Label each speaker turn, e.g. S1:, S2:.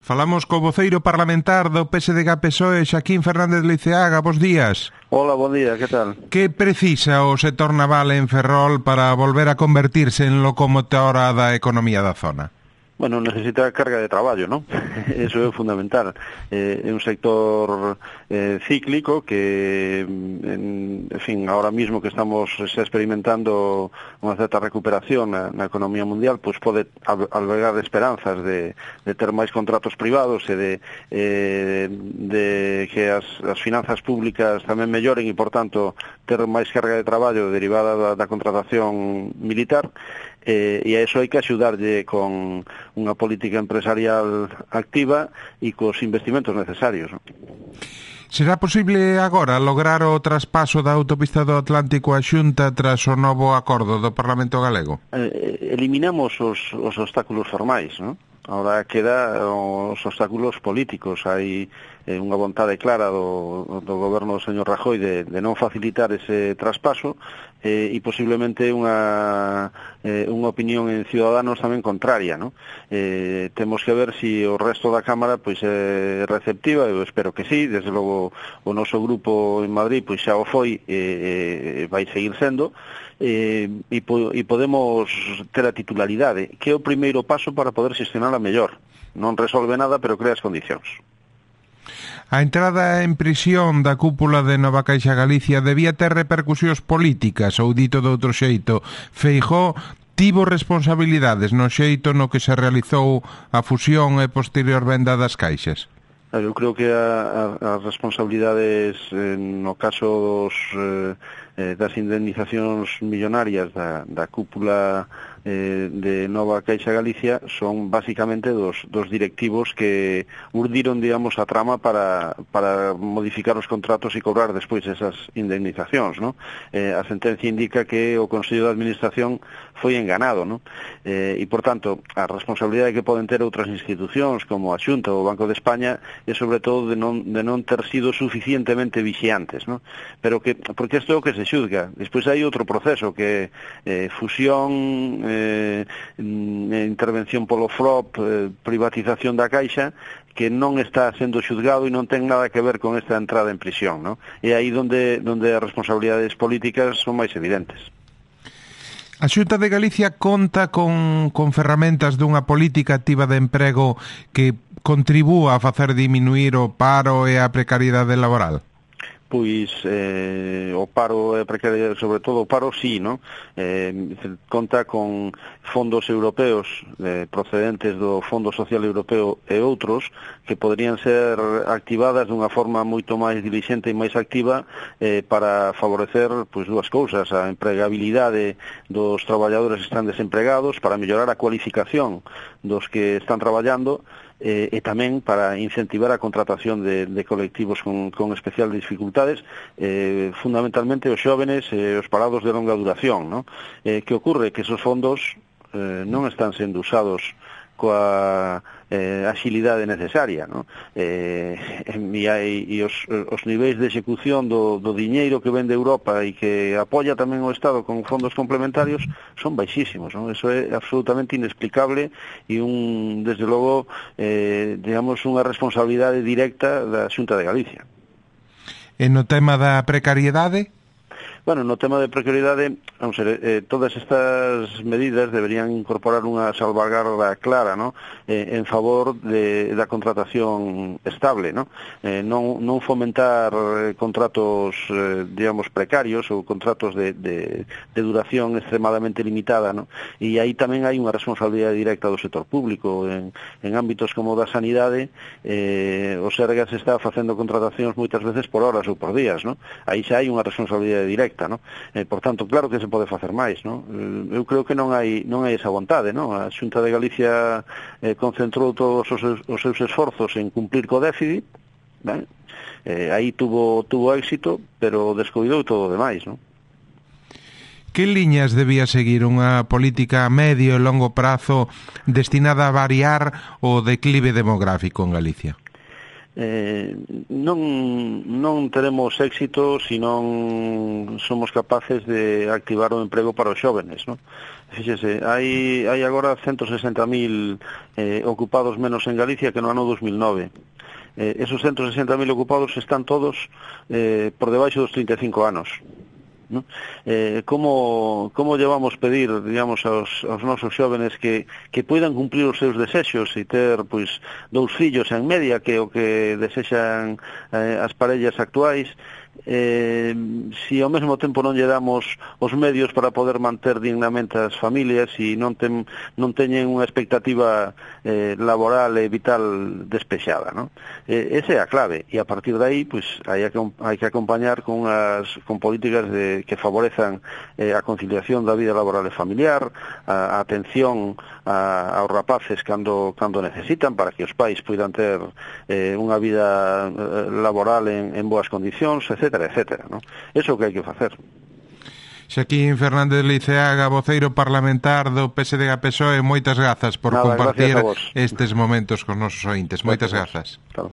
S1: Falamos co voceiro parlamentar do PSDG-PSOE, Xaquín Fernández Leiceaga. Bos días.
S2: Hola, bon día, que tal?
S1: Que precisa o sector naval en Ferrol para volver a convertirse en locomotora da economía da zona?
S2: Bueno, necesita carga de traballo, ¿no? Eso é fundamental. É un sector cíclico que, en fin, ahora mismo que estamos experimentando unha certa recuperación na economía mundial, pues pode albergar esperanzas de ter máis contratos privados e de que as finanzas públicas tamén melloren e, por tanto, ter máis carga de traballo derivada da contratación militar. E a eso hai que axudarlle con unha política empresarial activa e cos investimentos necesarios.
S1: Será posible agora lograr o traspaso da autopista do Atlántico á Xunta tras o novo acordo do Parlamento Galego?
S2: Eliminamos os obstáculos formais, non? Ahora queda os obstáculos políticos. Hai unha vontade clara do goberno do señor Rajoy de non facilitar ese traspaso e posiblemente unha opinión en Ciudadanos tamén contraria, ¿no? Temos que ver se o resto da Cámara pois é receptiva. Eu espero que sí. Desde logo o noso grupo en Madrid pois xa o foi e vai seguir sendo. E podemos ter a titularidade, que é o primeiro paso para poder xestionala mellor. Non resolve nada, pero crea as condicións.
S1: A entrada en prisión da cúpula de Nova Caixa Galicia debía ter repercusións políticas, ou dito de outro xeito, Feijóo tivo responsabilidades no xeito no que se realizou a fusión e posterior venda das caixas?
S2: Eu creo que as responsabilidades no caso das indemnizacións millonarias da cúpula de Nova Caixa Galicia son basicamente dos directivos que urdiron, digamos, a trama para modificar os contratos e cobrar despois esas indemnizacións, ¿no? A sentencia indica que o Consello de Administración foi enganado, ¿no? E, por tanto, a responsabilidade que poden ter outras institucións como a Xunta ou o Banco de España é sobre todo de non ter sido suficientemente vixiantes, ¿no? Pero porque isto é o que se xuzga. Despois hai outro proceso que é fusión, intervención polo FROP, privatización da Caixa, que non está sendo xuzgado e non ten nada que ver con esta entrada en prisión, ¿no? E aí donde as responsabilidades políticas son máis evidentes.
S1: A Xunta de Galicia conta con ferramentas dunha política activa de emprego que contribúa a facer diminuir o paro e a precariedade laboral?
S2: Pois o paro e precariedade, sobre todo o paro, sí, ¿no? Conta con fondos europeos procedentes do Fondo Social Europeo e outros que poderían ser activadas dunha forma moito máis dilixente e máis activa para favorecer pois dúas cousas: a empregabilidade dos traballadores que están desempregados, para mellorar a cualificación dos que están traballando, e tamén para incentivar a contratación de colectivos con especial dificultades, fundamentalmente os xóvenes e os parados de longa duración, ¿no? Que ocorre que esos fondos non están sendo usados coa axilidade necesaria, ¿no? E os niveis de execución do diñeiro que vende Europa e que apoia tamén o Estado con fondos complementarios son baixísimos, ¿no? Eso é absolutamente inexplicable e desde logo, digamos, unha responsabilidade directa da Xunta de Galicia.
S1: E no tema da precariedade?
S2: Bueno, no tema de precariedade, vamos a ver, todas estas medidas deberían incorporar unha salvagarda clara, ¿no? En favor da contratación estable, ¿no? Non fomentar contratos, digamos, precarios ou contratos de duración extremadamente limitada, ¿no? E aí tamén hai unha responsabilidade directa do sector público. En ámbitos como da sanidade, o Sergas está facendo contratacións moitas veces por horas ou por días, ¿no? Aí xa hai unha responsabilidade directa, ¿no? Por tanto, claro que se pode facer máis, ¿no? Eu creo que non hai esa vontade, ¿no? A Xunta de Galicia concentrou todos os seus esforzos en cumplir co déficit, ¿ben? Aí tuvo éxito, pero descoidou todo o demais, ¿no?
S1: Que liñas debía seguir unha política a medio e longo prazo destinada a variar o declive demográfico en Galicia?
S2: non teremos éxito se non somos capaces de activar o emprego para os xóvenes, non? Fíxese, hai agora 160.000 ocupados menos en Galicia que no ano 2009. Esos 160.000 ocupados están todos por debaixo dos 35 anos. ¿No? Como llevamos pedir, digamos, aos nosos xóvenes que poidan cumprir os seus desexos e ter, pois, 2 fillos en media, que é o que desexan as parellas actuais, se ao mesmo tempo non lle damos os medios para poder manter dignamente as familias e non teñen unha expectativa laboral e vital despexada, ¿no? Esa é a clave, e a partir de aí, pues, hai que acompañar con políticas que favorezan a conciliación da vida laboral e familiar, a atención aos rapaces cando necesitan, para que os pais poidan ter unha vida laboral en boas condicións, etcétera, ¿no? Eso é o que hai que facer.
S1: Xaquín Fernández Liceaga, voceiro parlamentar do PSDG-PSOE, moitas grazas por compartir estes momentos con nosos ointes. Moitas grazas. Claro.